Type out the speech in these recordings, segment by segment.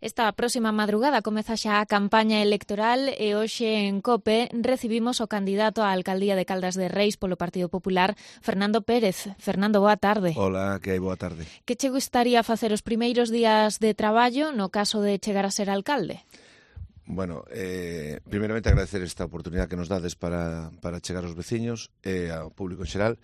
Esta próxima madrugada comeza xa a campaña electoral e hoxe en COPE recibimos o candidato á alcaldía de Caldas de Reis polo Partido Popular, Fernando Pérez. Fernando, boa tarde. Hola, que hai? Boa tarde. Que che gustaría facer os primeiros días de traballo no caso de chegar a ser alcalde? Bueno, primeiramente agradecer esta oportunidade que nos dades para chegar aos veciños e ao público en xeral.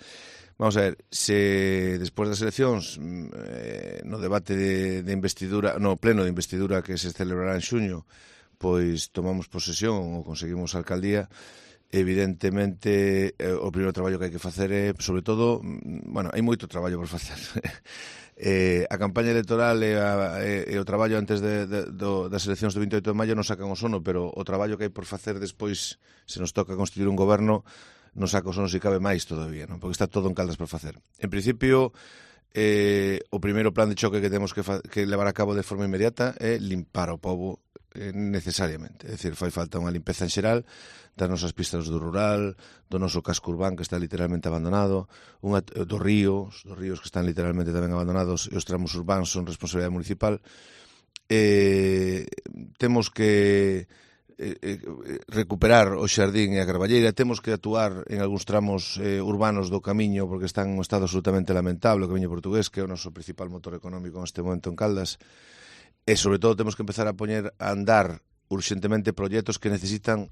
Vamos a ver, se despois das eleccións no debate de investidura, no pleno de investidura que se celebrará en xuño, pois tomamos posesión ou conseguimos a alcaldía, evidentemente o primeiro traballo que hai que facer é, sobre todo, bueno, hai moito traballo por facer. A campaña electoral e o traballo antes das eleccións do 28 de maio non sacan o sono, pero o traballo que hai por facer despois, se nos toca constituir un goberno, non saca o sono se cabe máis todavía, non? Porque está todo en Caldas por facer. En principio, o primeiro plan de choque que temos que levar a cabo de forma inmediata é limpar o pobo necesariamente. É dicir, fai falta unha limpeza en xeral das nosas pistas do rural, do noso casco urbán que está literalmente abandonado, dos ríos que están literalmente tamén abandonados, e os tramos urbanos son responsabilidade municipal. Temos que recuperar o xardín e a carballeira, temos que actuar en algúns tramos urbanos do camiño porque están en un estado absolutamente lamentable, o camiño portugués, que é o noso principal motor económico neste momento en Caldas, e sobre todo temos que empezar a poñer a andar urxentemente proxectos que necesitan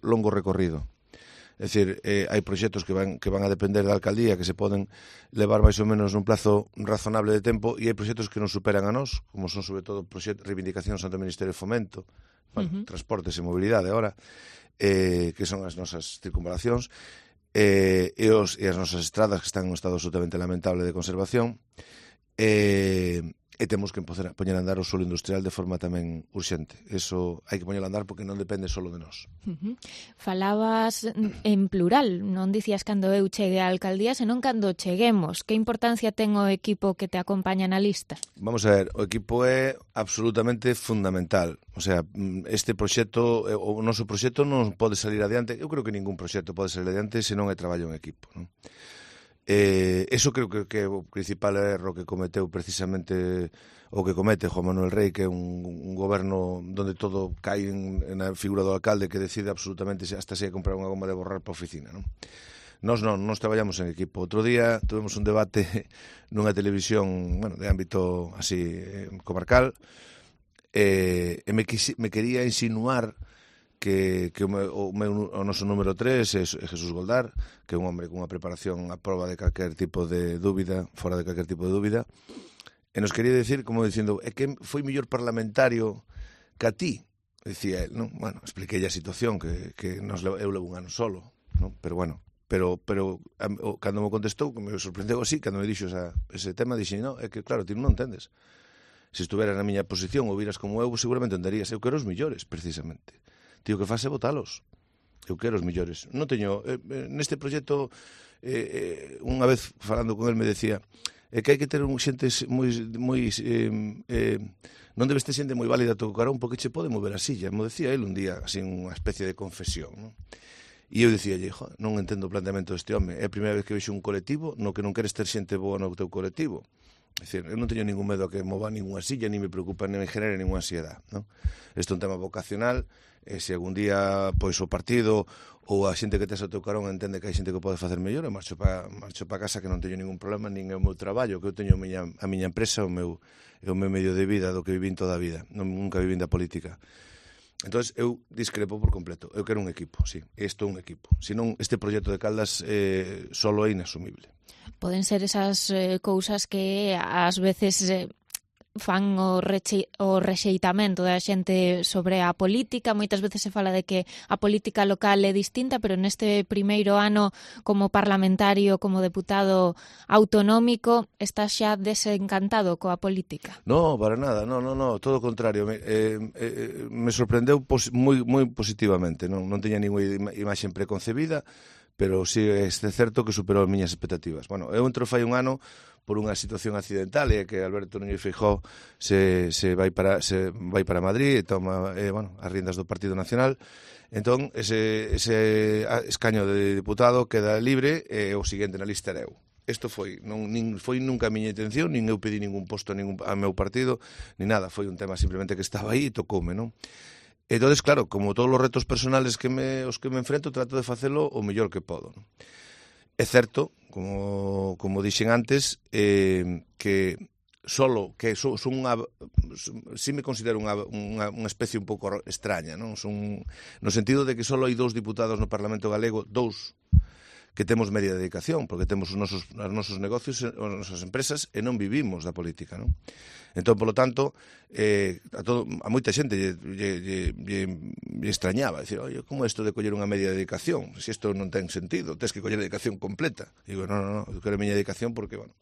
longo recorrido. É dicir, hai proxectos que van a depender da alcaldía, que se poden levar máis ou menos nun plazo razonable de tempo, e hai proxectos que nos superan a nós, como son sobre todo reivindicacións ante o Ministerio de Fomento, transportes e mobilidade agora, que son as nosas circunvalacións, e as nosas estradas que están en un estado absolutamente lamentable de conservación, e temos que poñer a andar o solo industrial de forma tamén urxente. Eso hai que poñer a andar porque non depende solo de nós. Falabas en plural, non dicías cando eu chegue á alcaldía, senón cando cheguemos. Que importancia ten o equipo que te acompaña na lista? Vamos a ver, o equipo é absolutamente fundamental. O sea, este proxecto, o noso proxecto non pode salir adiante. Eu creo que ningún proxecto pode salir adiante se non hai traballo en equipo, non? Eso creo que é o principal erro que cometeu precisamente o que comete Juan Manuel Rey, que é un goberno donde todo cae na figura do alcalde que decide absolutamente hasta se comprar unha goma de borrar para a oficina, non? Nos traballamos en equipo. Outro día tuvemos un debate nunha televisión, bueno, de ámbito así comarcal, e me quería insinuar que o noso número 3 é Jesús Goldar, que é un hombre con unha preparación a prova de calquer tipo de dúbida, fora de calquer tipo de dúbida, e nos quería decir, como dicindo, é que foi mellor parlamentario que a ti, decía él, non? Bueno, expliquei a situación, que eu levo un ano solo, non? Pero bueno, pero cando me contestou, que me sorprendeu así, cando me dixo ese tema, dixen, non, é que claro, ti non entendes. Se estuveras na miña posición ou viras como eu, seguramente entenderías. Eu quero os millores, precisamente. Tío, que fase votalos. Eu quero os millores. Non teño, neste proxecto, unha vez falando con el me decía, que hai que ter xentes moi non debes ter xente moi válida a teu carón porque che pode mover a silla. Me decía el un día, así, unha especie de confesión, non? E eu dicía, non entendo o planteamento deste home. É a primeira vez que vexo un colectivo no que non queres ter xente boa no teu colectivo. É dicir, eu non teño ningún medo a que mova ninguna silla, ni me preocupa, ni me genere ninguna ansiedade, non? Isto é un tema vocacional, e se algún día pois o partido ou a xente que tes ao teu carón entende que hai xente que pode facer mellor, e marcho para casa, que non teño ningún problema, nin é o meu traballo, que eu teño a miña empresa, o meu medio de vida do que vivín toda a vida, nunca vivín da política. Entón, eu discrepo por completo. Eu quero un equipo, sí. Isto é un equipo. Senón, este proxecto de Caldas solo é inasumible. Poden ser esas cousas que ás veces fan o rexeitamento da xente sobre a política. Moitas veces se fala de que a política local é distinta, pero neste primeiro ano como parlamentario, como deputado autonómico, estás xa desencantado coa política? No, para nada, no, todo o contrario. Me sorprendeu moi positivamente. Non teña ninguna imaxe preconcebida, pero sí é certo que superou as miñas expectativas. Bueno, eu entro fai un ano por unha situación accidental, e que Alberto Núñez Feijóo se vai para Madrid e toma as riendas do Partido Nacional. Entón, ese escaño de diputado queda libre, e o seguinte na lista era eu. Isto foi, nin foi nunca a miña intención, nin eu pedí ningún posto a meu partido, ni nada, foi un tema simplemente que estaba aí e tocoume, non? Entonces, claro, como todos os retos personales os que me enfrento, trato de facelo o mellor que podo, non? É certo, como dixen antes, que solo que son si me considero unha especie un pouco extraña, non? No sentido de que só hai 2 diputados no Parlamento galego, 2 que temos media dedicación, porque temos os nosos negocios, as nosas empresas, e non vivimos da política, non? Entón, polo tanto, a moita xente lle extrañaba, dicir, oye, como isto de coller unha media dedicación? Se isto non ten sentido, tens que coller dedicación completa. E digo, non, eu quero a miña dedicación porque, bueno,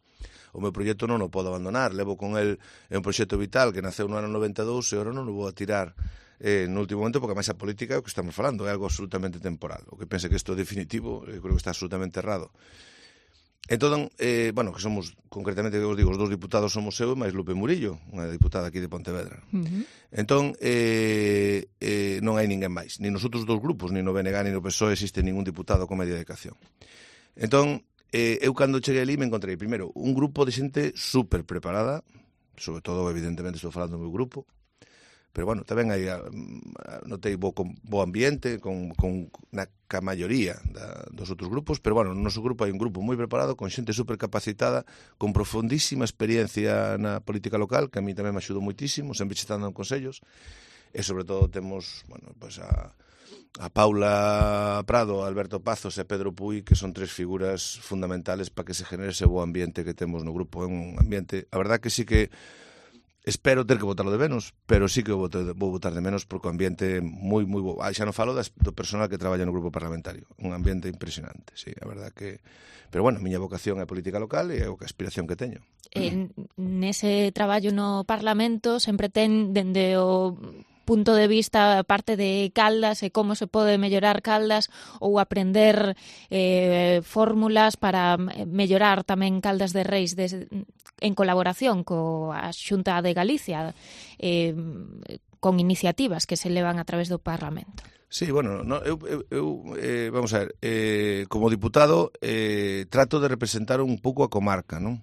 o meu proxecto non o podo abandonar, levo con el, é un proxecto vital que naceu no ano 92 e agora non o vou a tirar no último momento, porque máis a política é o que estamos falando, é algo absolutamente temporal. O que pense que isto é definitivo, eu creo que está absolutamente errado. Entón, bueno, que somos, concretamente, que vos digo, os 2 diputados somos eu e máis Lupe Murillo, unha diputada aquí de Pontevedra. Entón, non hai ninguén máis, ni nos outros 2 grupos, ni no BNG, ni no PSOE existe ningún diputado con media dedicación. Entón, eu cando cheguei ali me encontrei, primeiro, un grupo de xente super preparada, sobre todo, evidentemente, estou falando do meu grupo, pero, bueno, tamén hai, notei bo ambiente na maioría dos outros grupos, pero, bueno, no noso grupo hai un grupo moi preparado, con xente super capacitada, con profundísima experiencia na política local, que a mí tamén me axudou moitísimo, sempre estando en consellos, e, sobre todo, temos, bueno, pues a Paula Prado, a Alberto Pazos e a Pedro Puy, que son 3 figuras fundamentales para que se genere ese bo ambiente que temos no grupo. É un ambiente, a verdad que sí que espero ter que votarlo de menos, pero sí que vou votar de menos porque o ambiente é moi bo. Xa non falo do personal que traballa no grupo parlamentario. Un ambiente impresionante, sí, a verdad que... Pero, bueno, a miña vocación é a política local e é a aspiración que teño. Nese traballo no Parlamento sempre ten, dende o punto de vista parte de Caldas e como se pode mellorar Caldas ou aprender fórmulas para mellorar tamén Caldas de Reis en colaboración coa Xunta de Galicia con iniciativas que se levan a través do Parlamento. Sí, bueno, vamos a ver, como diputado trato de representar un pouco a comarca, non?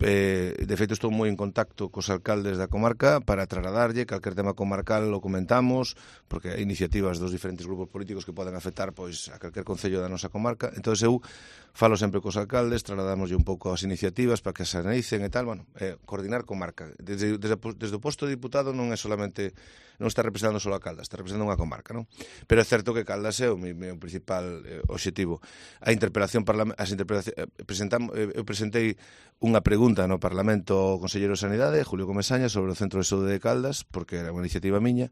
De feito, estou moi en contacto cos alcaldes da comarca para trasladarlle calquer tema comarcal lo comentamos, porque hai iniciativas dos diferentes grupos políticos que poden afectar pois a calquer concello da nosa comarca. Entón eu falo sempre cos alcaldes, trasladamoslle un pouco as iniciativas para que se analicen e tal, bueno, coordinar comarca. Desde o posto de diputado non é solamente, non está representando só a Caldas, está representando unha comarca, non? Pero é certo que Caldas é o meu principal obxectivo. A interpelación eu presentei unha pregunta no Parlamento ao Conselleiro de Sanidade, Julio Comesaña, sobre o Centro de Saúde de Caldas, porque era unha iniciativa miña,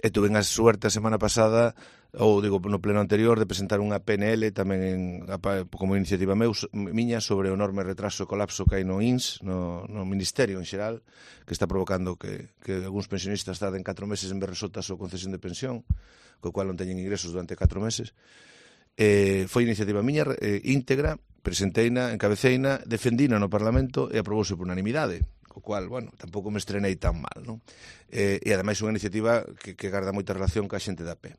e tuve a suerte a semana pasada, ou digo, no pleno anterior, de presentar unha PNL tamén como iniciativa miña sobre o enorme retraso e colapso que hai no INS, no Ministerio en xeral, que está provocando que algúns pensionistas tarden 4 meses en ver resolta a súa concesión de pensión, co cual non teñen ingresos durante 4 meses. Foi iniciativa miña íntegra, presenteina, encabeceina, defendina no Parlamento e aprobouse por unanimidade, co cual, bueno, tampouco me estrenei tan mal, non? E ademais unha iniciativa que garda moita relación ca xente da pé.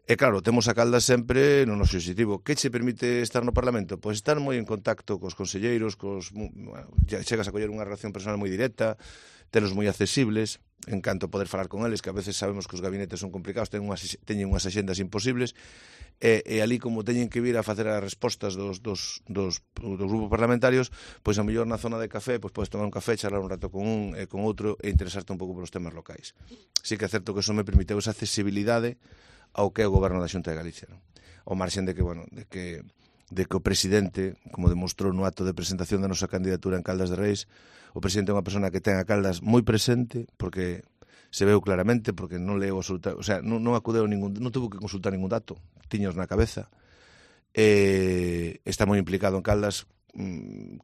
E claro, temos a Caldas sempre no noso objetivo. Que che permite estar no Parlamento? Pois estar moi en contacto cos conselleiros, chegas a coller unha relación personal moi directa, telos moi accesibles, en canto poder falar con eles, que a veces sabemos que os gabinetes son complicados, teñen unhas axendas imposibles, e ali como teñen que vir a facer as respostas dos grupos parlamentarios, pois a mellor na zona de café, pois podes tomar un café, charlar un rato con un e con outro e interesarte un pouco polos temas locais. Sí que é certo que eso me permiteu esa accesibilidade ao que é o goberno da Xunta de Galicia, non? Ao marxen de que, bueno, de que o presidente, como demostrou no acto de presentación da nosa candidatura en Caldas de Reis, o presidente é unha persona que ten a Caldas moi presente, porque se veu claramente, porque non leu absolutamente, o sea, non acudeu non tuvo que consultar ningún dato, tiños na cabeza, está moi implicado en Caldas.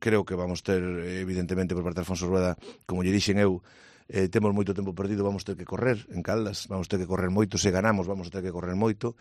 Creo que vamos ter, evidentemente, por parte de Alfonso Rueda, como lle dixen eu, temos moito tempo perdido, vamos ter que correr en Caldas, vamos ter que correr moito, se ganamos vamos ter que correr moito,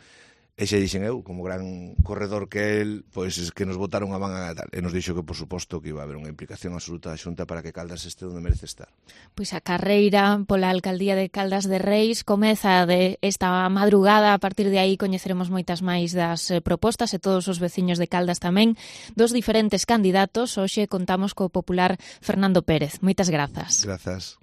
E xa dixen eu, como gran corredor que el, pois que nos botaron a man a tal. E nos dixo que, por suposto, que iba a haber unha implicación absoluta da Xunta para que Caldas este onde merece estar. Pois a carreira pola alcaldía de Caldas de Reis comeza de esta madrugada. A partir de aí coñeceremos moitas máis das propostas e todos os veciños de Caldas tamén, dos diferentes candidatos. Hoxe contamos co popular Fernando Pérez. Moitas grazas. Grazas.